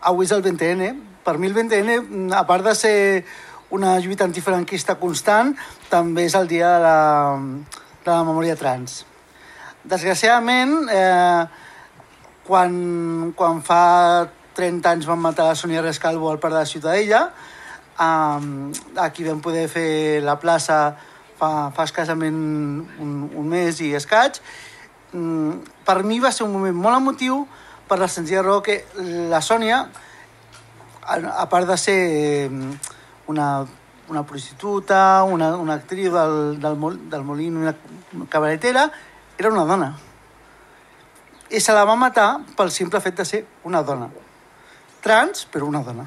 avui és el 20N. Per mi el 20N, a part de ser una lluita antifranquista constant, també és el dia de la memòria trans. Desgraciadament, quan fa 30 anys van matar la Sònia Rescalvo al Parc de la Ciutadella, aquí vam poder fer la plaça fa escassament un mes i escaig. Per mi va ser un moment molt emotiu per la senzilla raó que la Sònia, a part de ser una prostituta, una actriu del Molino, una cabaretera, era una dona. I se la va matar pel simple fet de ser una dona. Trans, però una dona.